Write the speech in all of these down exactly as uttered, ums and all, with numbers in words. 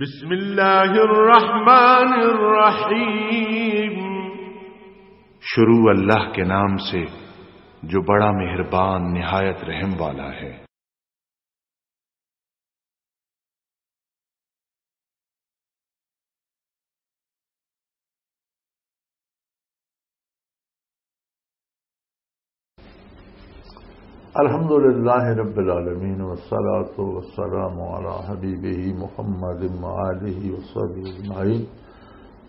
بسم اللہ الرحمن الرحیم۔ شروع اللہ کے نام سے جو بڑا مہربان نہایت رحم والا ہے۔ الحمد لله رب العالمين، والصلاة والسلام على حبيبه محمد وآله وصحبه أجمعين.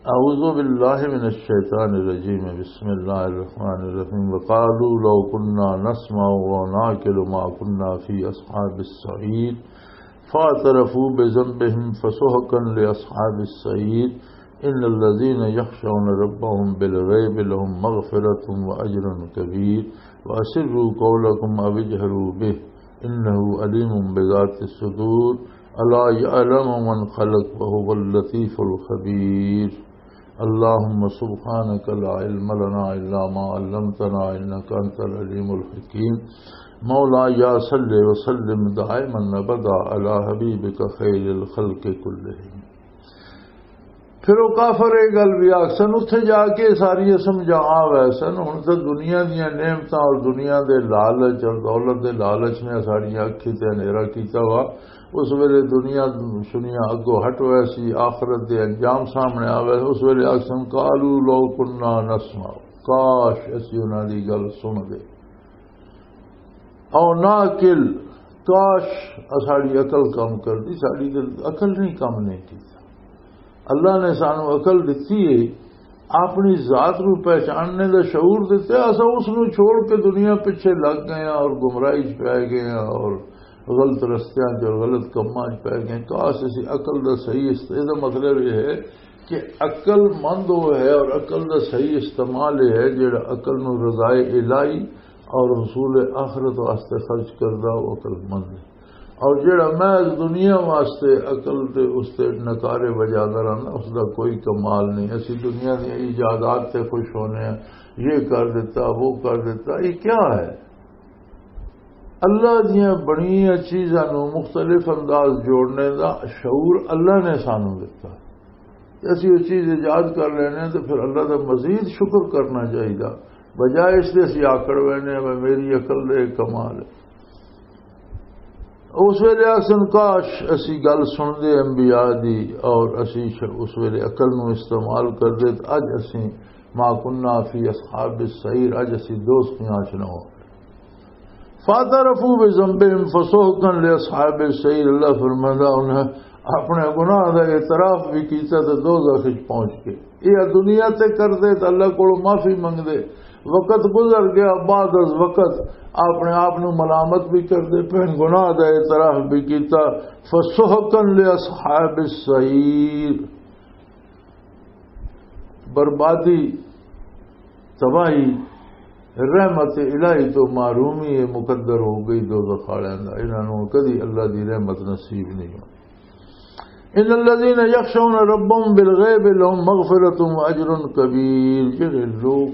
أعوذ بالله من الشيطان الرجيم. بسم الله الرحمن الرحيم. وقالوا لو كنا نسمع أو نعقل ما كنا في أصحاب السعير. فاعترفوا بذنبهم فسحقا لأصحاب السعير. إن الذين يخشون ربهم بالغيب لهم مغفرة وأجر كبير. وأسروا قولكم أو اجهروا به إنه عليم بذات الصدور. ألا يعلم من خلق وهو اللطيف الخبير. اللهم سبحانك لا علم لنا إلا ما علمتنا إنك أنت العليم الحكيم. مولاي صل وسلم دائما أبدا على حبيبك خير الخلق كلهم. پھر وہ کافر یہ گل بھی آخسن، اتھے جا کے ساری سمجھا آ ویسن۔ ہن تے دنیا دیاں نعمتاں اور دنیا دے لالچ اور دولت دے لالچ نے ساڈیاں اکھیں تے ہنیرا کیتا وا۔ اس ویلے دنیا شنیا اگوں ہٹ ویسی، آخرت دے انجام سامنے آ ویسن۔ اس ویلے آخسن، "قالوا لو كنا نسمع"، کاش اسی انہاں دی گل سن دے۔ او ناقل، کاش اساڈی عقل کم کردی، ساڈی تے عقل نہیں کم نہیں کیتا۔ اللہ نے سانو عقل دتی ہے، اپنی ذات نو پہچاننے دا شعور دتا، اسا اس نو چھوڑ کے دنیا پیچھے لگ گئے ہاں اور گمراہی چ پی گئے ہاں اور غلط رستیاں چ اور غلط کماں چ پی گئے۔ کاش اسی عقل دا صحیح است-، اے دا مطلب یہ ہے کہ عقل مند وہ ہے اور عقل دا صحیح استعمال یہ ہے جڑا عقل نو رضائے الہی اور حصول آخرت واسطے خرچ کردا، وہ عقل مند ہے۔ اور جڑا محض دنیا واسطے عقل تے اس تے نکارے وجادا رہنا، اس دا کوئی کمال نہیں۔ اسی دنیا دی ایجادات تے خوش ہونے ہیں، یہ کر دیتا، وہ کر دیتا، یہ کیا ہے؟ اللہ دیاں بنیاں چیزاں نو مختلف انداز جوڑنے دا شعور اللہ نے سانو دتا۔ تے اسی وہ چیز ایجاد کر لینے ہیں، تے پھر اللہ دا مزید شکر کرنا چاہیدا، بجائے اس دے اسی آکڑ وینے ہیں، "میں، میری عقل دے کمال ہے۔" اس ویلے آسن، "کاش اسی گل سن دے انبیاء دی اور اسی ش-، اس ویلے عقل نو استعمال کر دے، تے اج اسی ما كنا في أصحاب السعير، اج اسی دوزخیاں چ نہ ہو۔" فاعترفوا بذنبهم فسحقا لأصحاب السعير۔ اللہ فرماندا، انہیں اپنے گناہ دا اعتراف بھی کیتا تے دوزخ وچ پہنچ کے۔ یہ دنیا تے کردے تے اللہ کولوں معافی منگدے۔ وقت گزر گیا، بعد از وقت اپنے آپ نو ملامت بھی کردے پہن، گناہ دا اعتراف بھی کیتا۔ فسحقا لأصحاب السعير۔ بربادی، تباہی، رحمت الہی تو محرومی ہے، مقدر ہو گئی دوزخ والوں دا۔ انہاں نوں کدی اللہ دی رحمت نصیب نہیں ہونی۔ ان الذين يخشون ربهم بالغيب لهم مغفرة واجر كبير۔ جڑے لوگ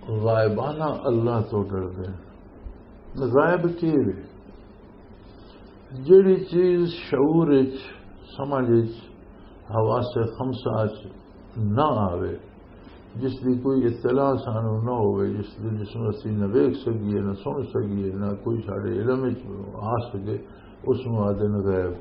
غائبانہ اللہ تو ڈردے ہیں، غائب کی وے؟ جیڑی چیز شعور اچ، سمجھ اچ، حواس خمسہ اچ نہ آوے، جس دی کوئی اطلاع سانو نہ ہوئے، جس دی، جس نوں اسی نہ ویکھ سکیے، نہ سن سکیے، نہ کوئی ساڈے علم اچ آ سکے، اس نوں آدھے نے غیب۔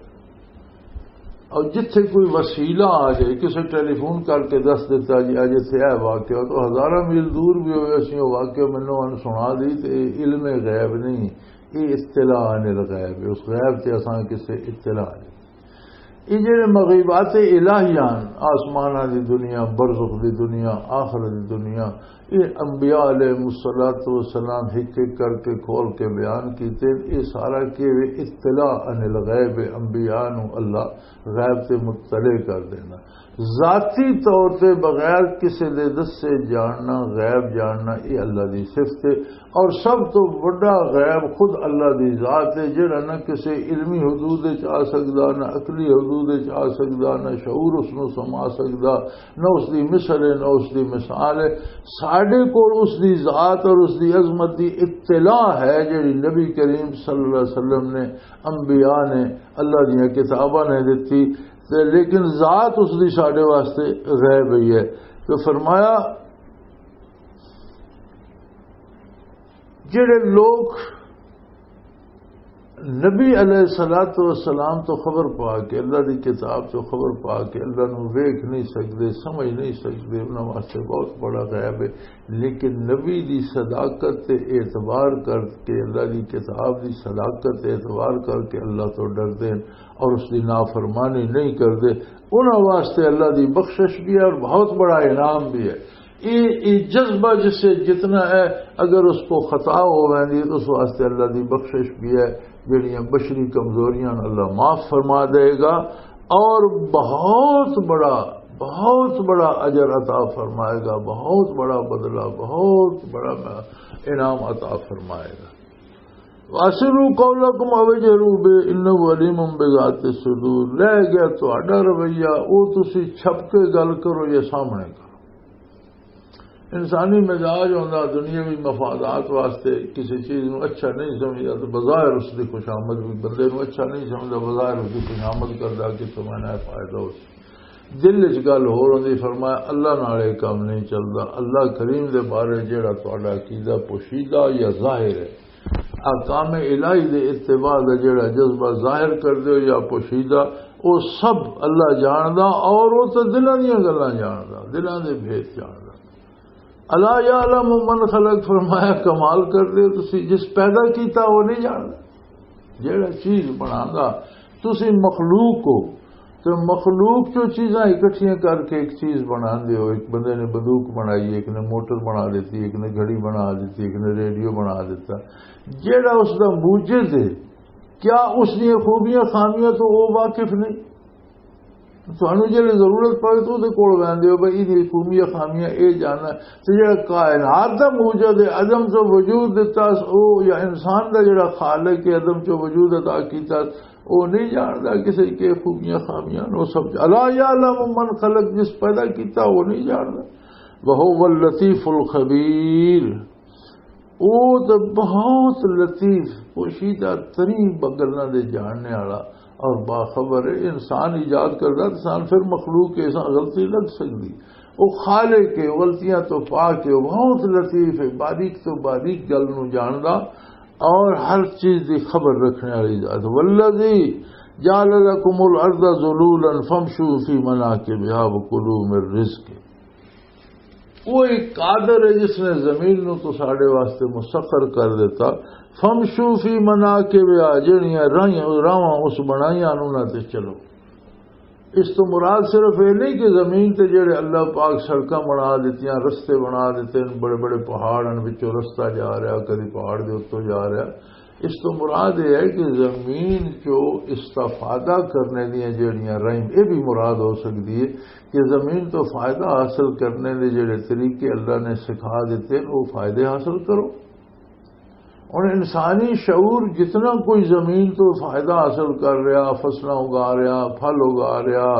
اور جتھے کوئی وسیلہ آ جائے، کسے ٹیلی فون کر کے دس دیتا جی، اج اتھے اے واقعہ، تو ہزاراں میل دور بھی ہوئے، اسی وہ واقعہ مینوں ان سنا دی، تے علم غیب نہیں، یہ اطلاع عن الغیب ہے، اس غیب تے اساں کسے اطلاع نہیں۔ یہ جڑے مغیبات الہی ہن، آسماناں دی دنیا، برزخ دی دنیا، آخرت دی دنیا، یہ انبیاء علیہ الصلوۃ والسلام ہک ہک کر کے کھول کے بیان کیتے۔ یہ سارا کہ اطلاع عن الغیب، انبیاء نو اللہ غیب تے مطلع کر دینا۔ ذاتی طور تے بغیر کسے دے دسے جاننا، غیب جاننا، یہ اللہ دی صفت ہے۔ اور سب تو بڑا غیب خود اللہ دی ذات ہے، جڑا نہ کسے علمی حدود وچ آ سکدا، نہ عقلی حدود وجود وچ آ سکدا، نہ شعور اس نوں سما سکدا، نہ اس دی مثل ہے، نہ اس دی مثال ہے۔ ساڈے کول اس دی ذات اور اس دی عظمت دی اطلاع ہے، جڑی نبی کریم صلی اللہ علیہ وسلم نے، انبیاء نے، اللہ دیاں کتاباں نے دتی، تے لیکن ذات اس دی ساڈے واسطے غیب ہی ہے۔ تو فرمایا، جڑے لوگ نبی علیہ الصلوۃ والسلام تو خبر پا کے، اللہ دی کتاب تو خبر پا کے، اللہ نو ویکھ نہیں سکدے، سمجھ نہیں سکدے، انہاں واسطے بہت بڑا غیب ہے۔ لیکن نبی دی صداقت تے اعتبار کر کے، اللہ دی کتاب دی صداقت تے اعتبار کر کے اللہ تو ڈردے ہیں اور اس دی نافرمانی نہیں کردے، انہاں واسطے اللہ دی بخشش بھی ہے اور بہت بڑا انعام بھی ہے۔ یہ یہ جذبہ جس سے جتنا ہے، اگر اس کو خطا ہو ویندی ہے تو اس واسطے اللہ دی بخشش بھی ہے، جڑیاں بشری کمزوریاں نوں اللہ معاف فرما دے گا اور بہت بڑا، بہت بڑا اجر عطا فرمائے گا، بہت بڑا بدلہ، بہت بڑا انعام عطا فرمائے گا۔ واسروا قولکم او اجهروا به انه علیم بذات الصدور۔ رہ گیا تہاڈا رویہ، او تسی چھپ کے گل کرو یا سامنے کرو۔ انسانی مزاج ہوندا، دنیاوی مفادات واسطے کسی چیز نوں اچھا نہیں سمجھدا تو بظاہر اس دی خوشامد بھی، بندے نوں اچھا نہیں سمجھدا، بظاہر اس دی خوشامد کردا کہ تمہارا فائدہ ہو۔ دل وچ گل ہور ہوندی۔ فرمایا، اللہ نال یہ کام نہیں چلدا۔ اللہ کریم دے بارے جڑا تہاڈا عقیدہ پوشیدہ یا ظاہر ہے، احکام الہی دے اتباع دا جڑا جذبہ ظاہر کر دیو یا پوشیدہ، او سب اللہ جاندا، اور او تے دلاں دیاں گلاں جاندا، دلاں دے بھید جاندا۔ الا یعلم من خلق، فرمایا، کمال کر دیو تسی، جس پیدا کیتا وہ نہیں جاندا؟ جڑا چیز بناندا، تسی مخلوق ہو، تے مخلوق چوں چیزاں اکٹھیاں کر کے ایک چیز بنا دے ہو۔ ایک بندے نے بندوق بنائی، ایک نے موٹر بنا دیتی، ایک نے گھڑی بنا دیتی، ایک نے ریڈیو بنا دیتا۔ جیڑا اس دا موجد ہے، کیا اس دیاں خوبیاں خامیاں تو وہ واقف نہیں؟ تانوں جیڑی ضرورت پڑے تو دے کول ویندے ہو بھئی، یہ خوبیاں خامیاں اے جاننا۔ تے جیڑا کائنات دا موجد ہے، عدم تو وجود دیتا، او یا انسان دا جیڑا خالق ہے، عدم تو وجود عطا کیتا، او نہیں جاندا کسے کے خوبیاں خامیاں نو سب۔ الا یعلم من خلق، جس پیدا کیتا وہ نہیں جاندا۔ وهو اللطیف الخبیر، او تے بہت لطیف، پوشیدہ ترین گلاں دے جاننے والا اور باخبر ہے۔ انسان ایجاد کردا، انسان پھر مخلوق کے ساتھ غلطی لگ سکدی۔ او خالق ہے، غلطیاں تو پاک ہے، بہت لطیف ہے، باریک تو باریک گل نو جاندا اور ہر چیز دی خبر رکھنے والی ذات۔ والذی جعل لکم الارض ذلولا فامشوا فی مناکبها وکلوا من رزقه۔ وہ ایک قادر ہے جس نے زمین نو تو ساڈے واسطے مسخر کر دیتا۔ فامشوا فی مناکبها، جڑیاں راہیاں، راواں اس بنائیاں، انہاں تے چلو۔ اس تو مراد صرف یہ نہیں کہ زمین تے جڑے اللہ پاک سڑکاں بنا دیتیاں، رستے بنا دیتے ہیں، بڑے بڑے پہاڑ ہیں، وچوں رستہ جا رہا، کدی پہاڑ دے اتوں جا رہا۔ اس تو مراد یہ ہے کہ زمین چو استفادہ کرنے دیاں جڑیاں رحم، یہ بھی مراد ہو سکتی ہے کہ زمین تو فائدہ حاصل کرنے دے جڑے طریقے اللہ نے سکھا دیتے ہیں، وہ فائدے حاصل کرو۔ ہن انسانی شعور جتنا کوئی زمین تو فائدہ حاصل کر رہا، فصلاں اگا رہا، پھل اگا رہا،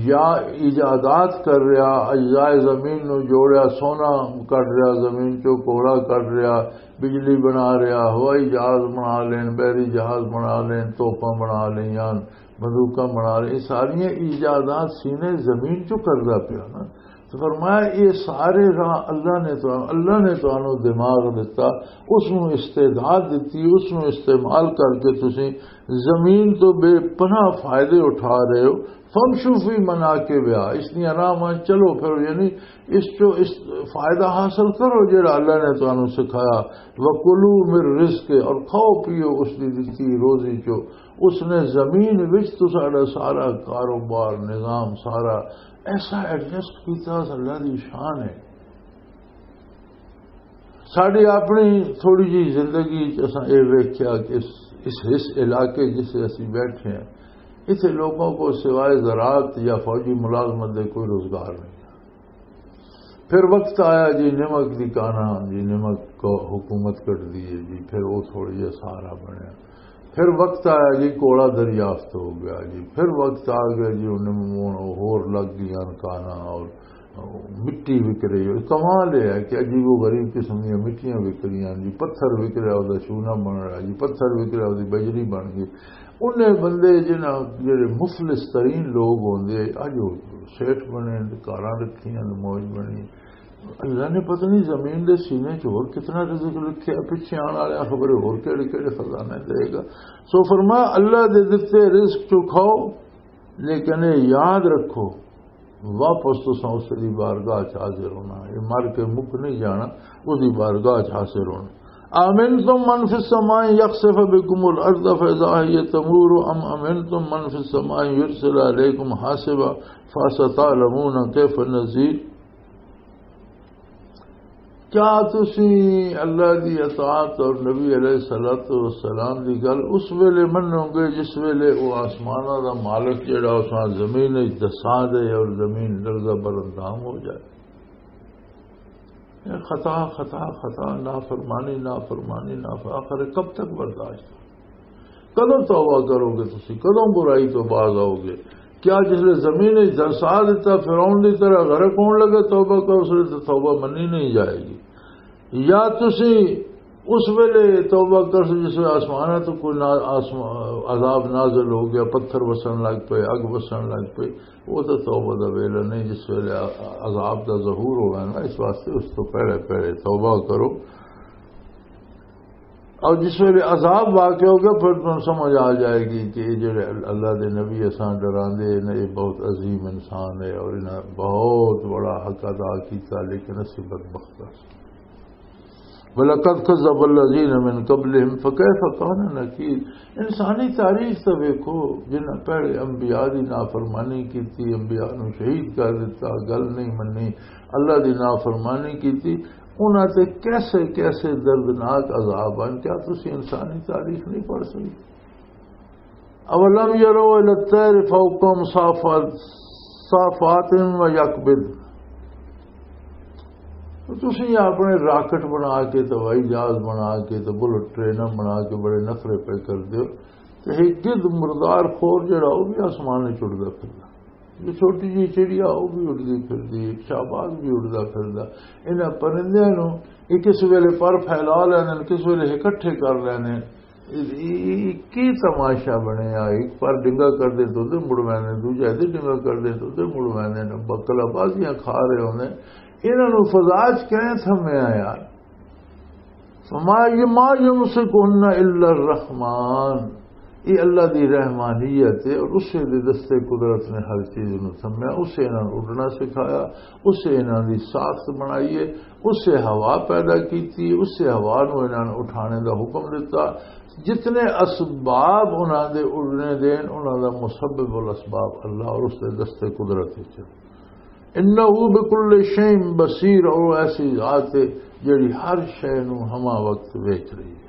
یا ایجادات کر رہا، اجزائے زمین نو جوڑیا، سونا کڈ رہا، زمین چو کوڑا کڈ رہا، بجلی بنا رہا، ہوائی جہاز بنا لین، بحری جہاز بنا لین، توپاں بنا لین، بندوقاں بنا لین، یہ ساریاں ایجادات سینے زمین چو کردا پیا نا۔ تو فرمایا، یہ سارے راہ اللہ نے تو، اللہ نے تانوں دماغ دتا، اس نو استعداد دتی، اس نو استعمال کر کے تسی زمین تو بے پناہ فائدے اٹھا رہے ہو۔ فامشوا فی مناکبہا، اس دیاں راہواں چلو پھرو، یعنی اس چو اس فائدہ حاصل کرو جڑا اللہ نے تانوں سکھایا۔ وکلوا من رزق، اور کھاؤ پیو اس دی دتی روزی چو۔ اس نے زمین وچ تساڈا سارا کاروبار، نظام سارا ایسا ایڈجسٹ کیتا، اللہ دی شان ہے۔ ساڈی اپنی تھوڑی جی زندگی چ اساں اے ویکھیا کہ اس، اس، اس علاقے جسے اسی بیٹھے ہیں، اتھے لوگوں کو سوائے زراعت یا فوجی ملازمت دے کوئی روزگار نہیں۔ پھر وقت آیا جی نمک دی کانا، جی نمک کو حکومت کٹ دی ہے جی، پھر وہ تھوڑا جہا سہارا بنیا۔ پھر وقت آیا جی، کوڑا دریافت ہو گیا جی، پھر وقت آ گیا جی، انہیں ہون ہور لگ گئیاں کانا اور مٹی وک رہی ہے۔ کمال یہ ہے کہ عجیب و غریب قسم دیا مٹیاں وک رہی ہیں جی، پتھر وک رہا، وہ شونا بن رہا جی، پتھر وک رہا، وہ بجری بن گئی۔ انہیں بندے جنہاں جڑے مفلس ترین لوگ ہوندے، اج وہ سیٹھ بنے، کاراں رکھیاں، موج بنی۔ اللہ نے پتہ نہیں زمین دے سینے چ ہور کتنا رزق رکھیا، پچھے آن والے خبر ہور کہڑے کہڑے خزانے دے گا۔ سو فرمایا، اللہ دے دتے رزق چو کھاؤ، لیکن یہ یاد رکھو، واپس تساں اس دی بارگاہ چ حاضر ہونا۔ یہ مر کے مک نہیں جانا، اس دی بارگاہ چ حاضر ہونا۔ امنتم من فی السماء یخسف بکم الارض فاذا هی تمور ام امنتم من فی السماء یرسل علیکم حاصبا فستعلمون کیف نذیر۔ کیا تسی اللہ دی اطاعت اور نبی علیہ الصلوۃ والسلام دی گل اس ویلے منو گے جس ویلے وہ آسماناں دا مالک جڑا اس نال زمین وچ دسا دے اور زمین لرزہ بر اندام ہو جائے؟ یہ خطا، خطا، خطا، نافرمانی، نافرمانی، نافرمانی، آخر کب تک برداشت؟ کدوں توبہ کرو گے تسی؟ کدوں برائی تو باز آؤ گے؟ کیا جس لے زمین وچ دھسا دتا، فرعون دی طرح غرق ہون لگے، توبہ کرو، اس لے تو توبہ منی نہیں جائے گی؟ یا تسی اس ویلے توبہ کرو جس ویلے آسماناں تو کوئی نا-، آسما-، عذاب نازل ہو گیا، پتھر وسن لگ پئے، اگ وسن لگ پئی، وہ تو توبہ دا ویلا نہیں، جس ویلے ع-، عذاب دا ظہور ہوگا نا، اس واسطے اس تو پہلے پہلے توبہ کرو۔ اور جس ویلے عذاب واقع ہوگا، پھر تمہیں سمجھ آ جائے گی کہ یہ جڑے ال-، اللہ دے نبی اساں ڈراندے نے، یہ بہت عظیم انسان ہے اور انہاں بہت بڑا حق ادا کیتا، لیکن اسی بدبخت ہاں۔ وَلَقَدْ كَذَّبَ الَّذِينَ مِنْ قَبْلِهِمْ فَكَيْفَ كَانَ نَكِيرِ۔ انسانی تاریخ تے ویکھو، جنہاں پہلے انبیاء دی نافرمانی کیتی، انبیاء نوں شہید کر دتا، گل نہیں منی، اللہ دی نافرمانی کیتی، انہاں تے کیسے کیسے دردناک عذاب آئے۔ کیا تسی انسانی تاریخ نہیں پڑھ سکتے؟ اولم یروا الی الطیر فوقہم صافات، صافات و یقبض۔ تو تسی اپنے راکٹ بنا کے، تو ہوائی جہاز بنا کے، تو بلٹ ٹریناں بنا کے بڑے نخرے پہ کر دیو، تو ایک گد مردار خور جڑا، وہ بھی آسمان وچ اڑدا پھردا۔ یہ چھوٹی جی چڑیا، وہ بھی اڑدی پھردی، ایک شہباز بھی اڑدا پھردا۔ انہاں پرندیاں نوں یہ کس ویلے پر پھیلا لینے، کس ویلے اکٹھے کر لینے۔ یہ، یہ، یہ کی تماشا بنیا؟ ایک پر ڈنگا کر دے تو ادھر مڑ ویندے، دوجا ادھر ڈنگا کر دے تو ادھر مڑ ویندے۔ بکلا بازیاں کھا رہے ہوندے۔ انہاں نوں فضا چ کہیں تھمیا یار؟ فما، یہ ما یمسکہن الا الرحمن، یہ اللہ دی رحمانیت ہے اور اسے دے دستے قدرت نے ہر چیز نوں تھمیا، اسے انہاں نوں اڈنا سکھایا، اسے انہاں دی ساخت بنائی ہے، اسے ہوا پیدا کیتی، اسے ہوا نوں انہاں نوں اٹھانے دا حکم دتا۔ جتنے اسباب انہاں دے اڈنے دے، انہاں دا مسبب الاسباب اللہ اور اس دے دستے قدرت وچ۔ انہ بکل شیء بصیر، اور وہ ایسی ذات ہے جڑی ہر شے نو ہما وقت ویچ رہی ہے۔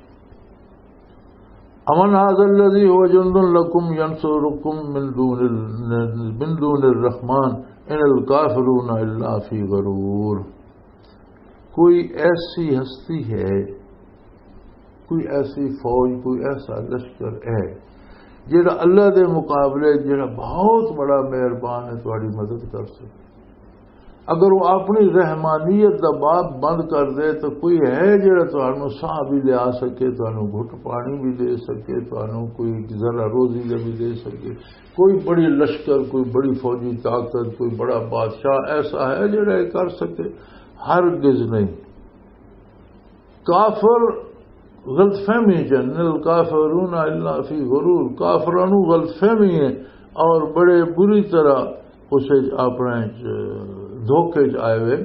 امن هذا الذی هو جند لکم ینصرکم من دون ال-، من دون الرحمن ان الکافرون الا فی غرور۔ کوئی ایسی ہستی ہے، کوئی ایسی فوج، کوئی ایسا لشکر ہے جڑا اللہ دے مقابلے، جڑا بہت بڑا مہربان ہے، تہاڈی مدد کر سکے؟ اگر وہ اپنی رحمانیت دا باب بند کر دے تو کوئی ہے جڑا تہانوں ساہ بھی لیا سکے، تہانوں گھٹ پانی بھی دے سکے، تہانوں کوئی ذرا روزی دے بھی دے سکے؟ کوئی بڑی لشکر، کوئی بڑی فوجی طاقت، کوئی بڑا بادشاہ ایسا ہے جڑا یہ کر سکے؟ ہرگز نہیں۔ کافر غلط فہمی چ ہن، الکافرون الا فی غرور، کافراں نوں غلط فہمی ہے اور بڑے بری طرح اسے اپنے چ دھوکے چ آئے ہوئے۔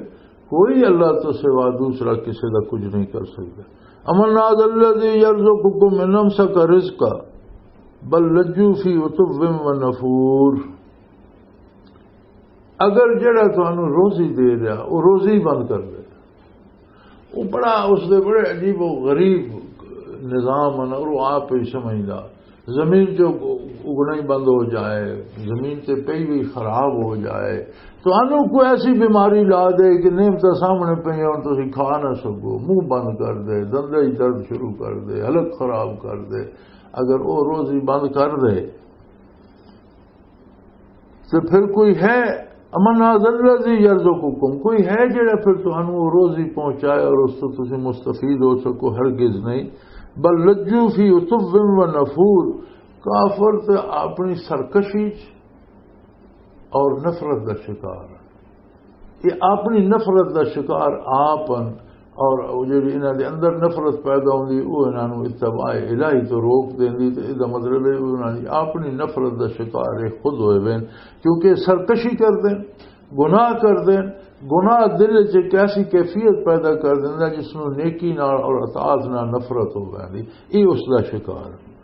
کوئی اللہ تو سوا دوسرا کسی دا کچھ نہیں کر سکتا۔ امن هذا الذی یرزقکم ان امسک رزقہ بل لجوا فی عتو و نفور۔ اگر جڑا تانوں روزی دے رہا، وہ روزی بند کر دے، وہ بڑا، اس دے بڑے عجیب و غریب نظام ہیں اور وہ آپ ہی سمجھدا۔ زمین چ اگنا ہی بند ہو جائے، زمین تے پئی بھی خراب ہو جائے، تو انہوں کوئی ایسی بیماری لا دے کہ نعمتاں سامنے پئی ہون، تسی کھا نہ سکو، منہ بند کر دے، دندے ہی درد شروع کر دے، حلق خراب کر دے، اگر وہ روزی بند کر دے، تو پھر کوئی ہے؟ امن ذا الذی یرزقکم، کوئی ہے جڑا پھر تانوں وہ روزی پہنچائے اور اس تو تسی مستفید ہو سکو؟ ہرگز نہیں۔ بل لجوا فی عتو و نفور، کافر تے اپنی سرکشی چ اور نفرت دا شکار ہے۔ یہ اپنی نفرت دا شکار آپ ہن، اور وہ جڑی انہاں دے اندر نفرت پیدا ہوندی، وہ انہاں نوں اتباع الہی تو روک دیندی۔ تے اس دا مطلب ہے، انہاں دی اپنی نفرت دا شکار یہ خود ہوئے وین، کیونکہ سرکشی کر دین، گناہ کر دین۔ گناہ دل وچ ایک ایسی کیفیت پیدا کر دیندا جس نوں نیکی نال اور اطاعت نال نفرت ہو ویندی۔ یہ اس دا شکار۔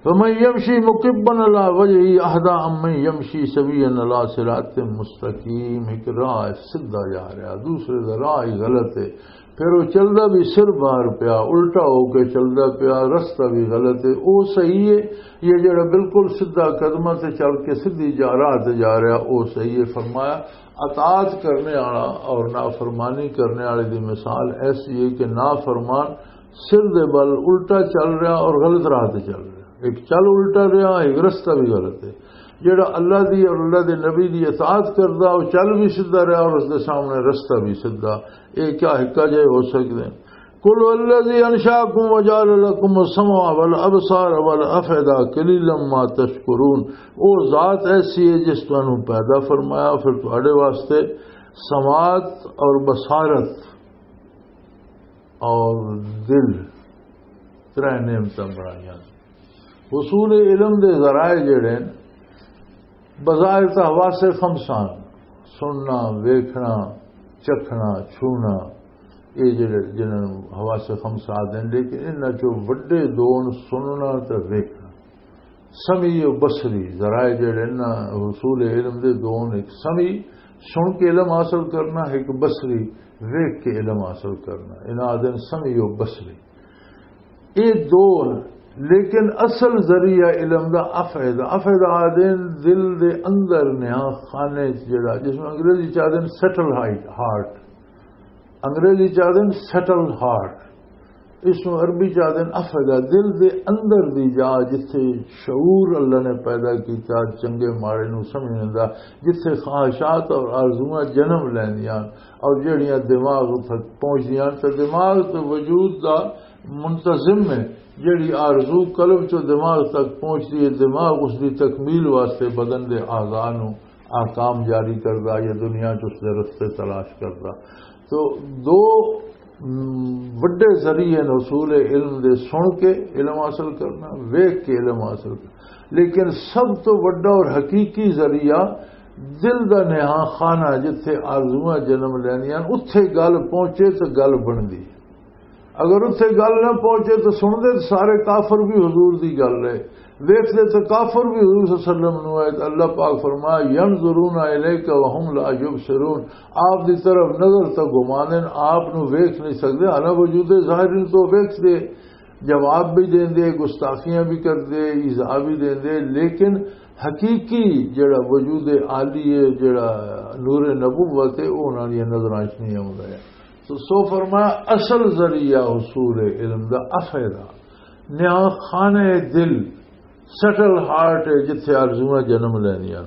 فمن یمشی مکبا علی وجهه اهدی امن یمشی سویا علی صراط مستقیم۔ ایک راہ ہے، سیدھا جا رہا، دوسرے دا راہ ہی غلط ہے۔ پھر وہ چلدا بھی سر باہر پیا، الٹا ہو کے چلدا پیا، رستہ بھی غلط ہے۔ وہ صحیح ہے، یہ جڑا بالکل سیدھا قدمہ تے چل کے سیدھی جا، راہ تے جا رہا، وہ صحیح ہے۔ فرمایا، اطاعت کرنے والا اور نافرمانی کرنے والے دی مثال ایسی ہے کہ نافرمان سر دے بل الٹا چل رہا اور غلط راہ تے چل رہا۔ ایک چل الٹا رہا، ایک رستہ بھی غلط ہے۔ جڑا اللہ دی اور اللہ دے نبی دی اطاعت کردا، وہ چل بھی سیدھا رہا اور اس دے سامنے رستہ بھی سیدھا۔ یہ کیا ہکا جے ہو سکدے ہیں؟ قل هو الذی انشأکم وجعل لکم السمع والابصار والافئدہ قلیلا ما تشکرون۔ وہ ذات ایسی ہے جس تانوں پیدا فرمایا، پھر تواڈے واسطے سماعت اور بصارت اور دل، ترے نعمتاں بنائیاں۔ حصول علم دے ذرائع جڑے ہیں، بظاہر تاں حواس خمسہ، سننا، ویکھنا، چکھنا، چھونا، یہ جڑے جنہاں نوں حواس خمسہ آدھے ہیں، لیکن انہاں چوں وڈے دو ہن سننا تے ویکھنا۔ سمعی و بصری ذرائع جڑے نا حصول علم دے دو نے، ایک سمعی، سن کے علم حاصل کرنا، ایک بصری، ویکھ کے علم حاصل کرنا، انہاں آدھے نے سمعی و بصری۔ یہ دو نے، لیکن اصل ذریعہ علم دا افئدہ، افئدہ آدھے نے دل دے اندر نیاں خانے چ جڑا، جس میں انگریزی چ آدھے نے سیٹل ہارٹ، انگریزی چ آدھے نے سیٹل ہارٹ، اس نوں عربی چ آدھے نے افئدہ، دل دے اندر دی جا، جتھے شعور اللہ نے پیدا کیتا، چنگے ماڑے نوں سمجھنے دا، جتھے خواہشات اور آرزوئاں جنم لیندیاں اور جڑیاں دماغ تک پہنچدیاں، تے دماغ تے وجود دا منتظم ہے۔ جڑی آرزو قلب چوں دماغ تک پہنچدی ہے، دماغ اس دی تکمیل واسطے بدن دے اعضاء نوں احکام جاری کردا یا دنیا چ اس دے رستے تلاش کردا۔ تو دو، م، وڈے ذریعے نے حصول علم دے، سن کے علم حاصل کرنا، ویکھ کے علم حاصل کرنا۔ لیکن سب تو وڈا اور حقیقی ذریعہ دل دا نہاں خانہ، جتھے آرزوئاں جنم لیندیاں، اتھے گل پہنچے تے گل بندی۔ اگر اتھے گل نہ پہنچے تو سن دے تے سارے کافر بھی حضور دی گل ہے، ویکھ دے تے کافر بھی حضور صلی اللہ علیہ وسلم نو آئے۔ اللہ پاک فرمایا، "ینظرون الیک وهم لا یبصرون"، آپ دی طرف نظر تے گھما دین، آپ نو ویکھ نہیں سکدے، حالانکہ وجود ظاہر نو تو ویکھ دے، جواب بھی دین دے، گستاخیاں بھی کر دے، ایذا بھی دین دے، لیکن حقیقی جڑا وجود عالی ہے، جڑا نور نبوت ہے، وہ انہاں دی نظراں وچ نہیں آوندا ہے۔ تو سو فرمایا، اصل ذریعہ حصول علم دا افیدہ، نیا خانہ دل، سیٹل ہارٹ ہے، جتھے آرزوئاں جنم لیندیاں۔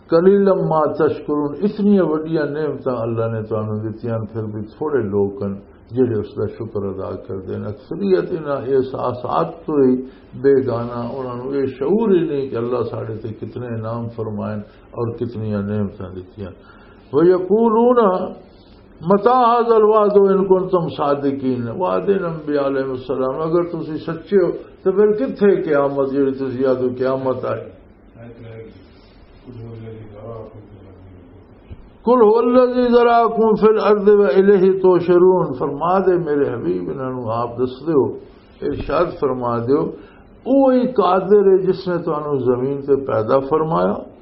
قلیلا ما تشکرون، اتنی وڈیاں نعمتاں اللہ نے تانوں دتیاں، پھر بھی تھوڑے لوگ ہن جڑے اس دا شکر ادا کردے نے۔ اکثریت انہاں احساسات تو ہی بیگانہ، انہاں نوں یہ شعور ہی نہیں کہ اللہ ساڈے تے کتنے انعام فرمائے اور کتنی نعمتاں دتیاں۔ وَيَقُولُونَ مَتَىٰ هَٰذَا الْوَعْدُ إِن كُنتُمْ صَادِقِينَ۔ وعدے انبیاء علیہ السلام، اگر تسی سچے ہو تو پھر کتھے قیامت، جڑی تسی آدھو قیامت آئی؟ قل هو الذي ذرأكم في الأرض وإليه تحشرون۔ فرما دے میرے حبیب، انہاں نوں آپ دس دیو، ارشاد فرما دیو، اوہی قادر ہے جس نے تانوں زمین تے پیدا فرمایا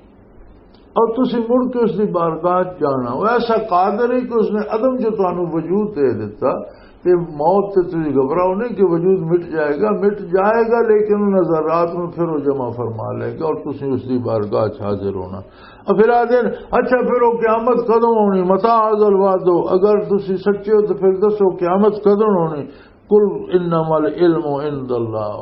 اور تسی مڑ کے اس دی بارگاہ چ جانا۔ وہ ایسا قادر ہے کہ اس نے عدم جو تانوں وجود دے دیتا، تے موت تے تسی گھبراؤ نہیں کہ وجود مٹ جائے گا، مٹ جائے گا، لیکن ان ذرات میں پھر وہ جمع فرما لے گا اور تسی اس دی بارگاہ چ حاضر ہونا۔ اور پھر آ دین، اچھا، پھر وہ قیامت کدوں ہونی؟ متى هذا الوعد؟ اگر تسی سچے ہو تو پھر دسو، قیامت کدوں ہونی؟ قل انما العلم عند اللہ۔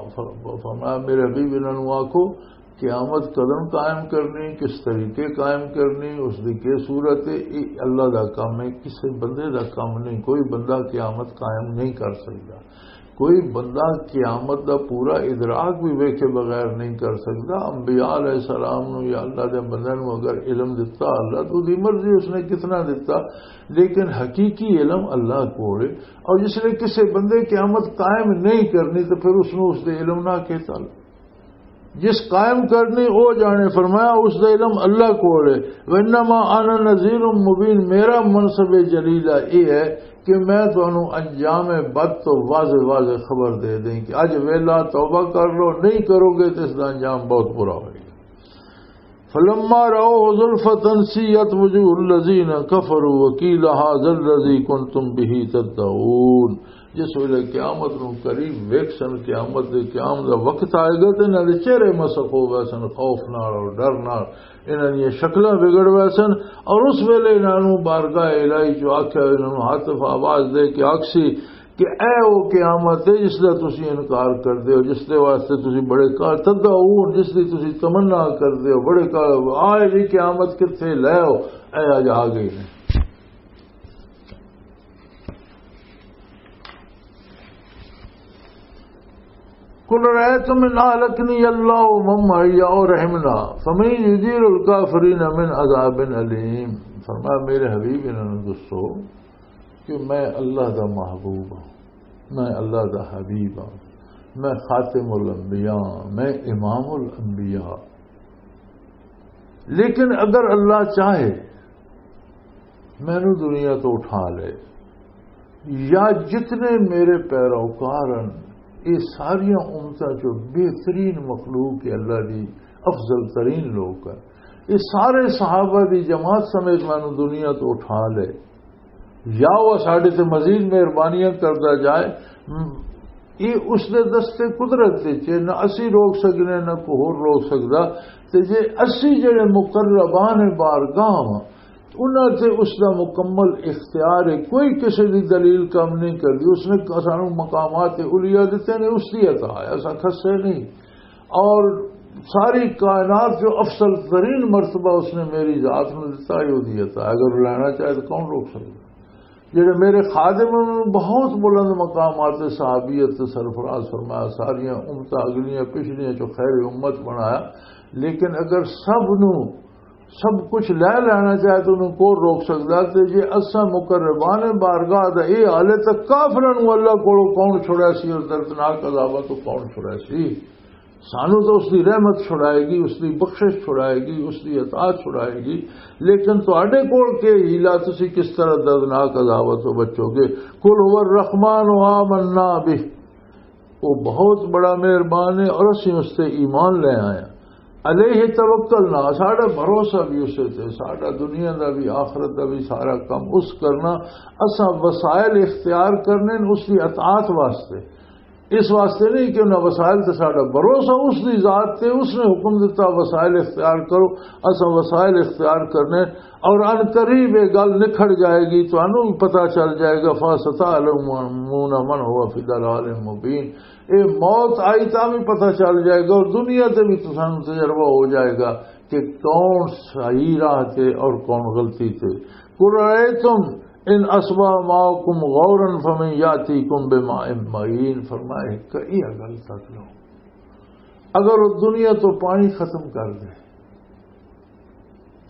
فرمایا، میرے حبیب، انہاں نوں آکھو، قیامت کدوں قائم کرنی، کس طریقے قائم کرنی، اس دی کی صورت ہے، یہ اللہ دا کام ہے، کسی بندے دا کام نہیں۔ کوئی بندہ قیامت قائم نہیں کر سکتا، کوئی بندہ قیامت دا پورا ادراک بھی ویکھے بغیر نہیں کر سکتا۔ انبیاء علیہ السلام نو یا اللہ دے بندے نو اگر علم دتا اللہ، تو دی مرضی اس نے کتنا دتا، لیکن حقیقی علم اللہ کول ہے۔ اور جس نے کسی بندے قیامت قائم نہیں کرنی، تو پھر اس نو اس دے علم نہ کہ تعلق۔ جس قائم کرنی، او جانے۔ فرمایا، اس دا علم اللہ کول ہے۔ وانما انا نذیر مبین، میرا منصب جلیلہ یہ ہے کہ میں تانوں انجام بد تو واضح واضح خبر دے دیں کہ اج ویلا، توبہ کر لو، نہیں کرو گے تو اس دا انجام بہت برا ہوئے گا۔ فلما رأوه زلفة سيئت وجوه الذين كفروا وقيل هذا الذي كنتم به تدعون۔ جس ویلے قیامت نو قریب ویکھسن، قیامت دے قیام دا وقت آئے گا تے انہاں دے چہرے مسخ ہو ویسن، خوف نال اور ڈر نال انہاں دیاں شکلاں بگڑ ویسن۔ اور اس ویلے انہاں نوں بارگاہ الہی چوں آکھیا، انہاں نوں ہاتف آواز دے کے آکھسی کہ اے او قیامت ہے جس دا تسی انکار کردے ہو، جس دے واسطے تسی بڑے کا تدعون، جس دی تسی تمنا کردے ہو، بڑے کا آئے جی قیامت کتھے، لے آؤ، اے اج آ گئی نے۔ قل رأيتم إن أهلكني الله ومن معي أو رحمنا فمن يجير الكافرين من عذاب أليم۔ فرمایا، میرے حبیب، انہاں نوں دسو کہ میں اللہ دا محبوب ہاں، میں اللہ دا حبیب ہاں، میں خاتم الانبیاء ہاں، میں امام الانبیاء۔ لیکن اگر اللہ چاہے، مینوں دنیا تو اٹھا لے، یا جتنے میرے پیروکار ہیں، یہ ساریاں امتاں چوں بہترین مخلوق ہے، اللہ دی افضل ترین لوگ ہیں، یہ سارے صحابہ دی جماعت سمیت مینوں دنیا تو اٹھا لے، یا وہ ساڈے تے مزید مہربانیاں کردا جائے، م-، یہ اس دے دستے قدرت وچ ہے، نہ اسی روک سکنے، نہ کوئی ہور روک سکدا۔ تے جے اسی جڑے مقربان بارگاہ واں، انہاں تے اس دا مکمل اختیار ہے، کوئی کسے دی دلیل کم نہیں کردی۔ اس نے سانوں مقامات علیا دتے نے، اس دی عطا ہے، اساں کھسے نہیں۔ اور ساری کائنات جو افضل ترین مرتبہ اس نے میری ذات نوں دتا ہے، وہ دی عطا ہے۔ اگر لینا چاہے تو کون روک سکتا؟ جڑے میرے خادم انہوں نے بہت بلند مقامات صحابیت تے سرفراز فرمایا، ساریاں امتاں اگلیاں پچھلیاں چوں خیر امت بنایا، لیکن اگر سب نو سب کچھ لے لینا چاہے تو انہوں کون روک سکدا؟ تے جے اساں مقربان بارگاہ دا اے حال ہے، تاں کافراں نوں اللہ کولوں کون چھڑا سی اور دردناک عذاباں تو کون چھڑا سی؟ سانو تو اس دی رحمت چھڑائے گی، اس دی بخشش چھڑائے گی، اس دی عطا چھڑائے گی، لیکن تہاڈے کول کے ہیلا، تسی کس طرح دردناک عذاباں تو بچو گے؟ قل هو الرحمن آمنا به، وہ بہت بڑا مہربان ہے اور اسی اس تے ایمان لے آئے ہیں۔ علیہ توکلنا، ساڈا بھروسہ بھی اسے تے، ساڈا دنیا دا بھی آخرت دا بھی سارا کم اس کرنا، اساں وسائل اختیار کرنے نے اس دی اطاعت واسطے، اس واسطے نہیں کہ انہاں وسائل تے ساڈا بھروسہ اس دی ذات تے، اس نے حکم دتا وسائل اختیار کرو، اساں وسائل اختیار کرنے اور ان قریب یہ گل نکھڑ جائے گی، تانوں بھی پتہ چل جائے گا۔ فَسَتَعْلَمُونَ مَنْ هُوَ فِي ضَلَالٍ مُّبِينٍ، یہ موت آئی تاں بھی پتہ چل جائے گا اور دنیا تے بھی تسانوں تجربہ ہو جائے گا کہ کون صحیح راہ تے اور کون غلطی تے۔ قل رأيتم إن أصبح ماؤكم غورا فمن يأتيكم بماء معين۔ فرمایا، کئی گل تک لو، اگر وہ دنیا تو پانی ختم کر دے،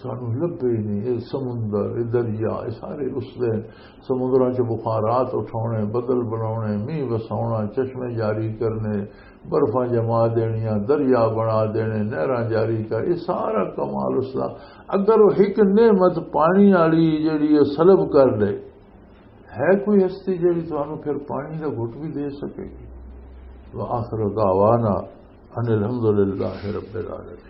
سانو لبھے ہی نہیں۔ یہ سمندر، یہ دریا، یہ سارے اس دے سمندراں چ بخارات اٹھاؤنے، بدل بناؤنے، مینہ وساؤنا، چشمے جاری کرنے، برفاں جما دینیاں، دریا بنا دینے، نہراں جاری کر، یہ سارا کمال اس دا۔ اگر وہ ایک نعمت پانی والی جڑی ہے سلب کر لے، ہے کوئی ہستی جڑی تانوں پھر پانی دا گھٹ بھی دے سکے گی؟ وآخر دعوانا ان الحمد للہ رب العالمین۔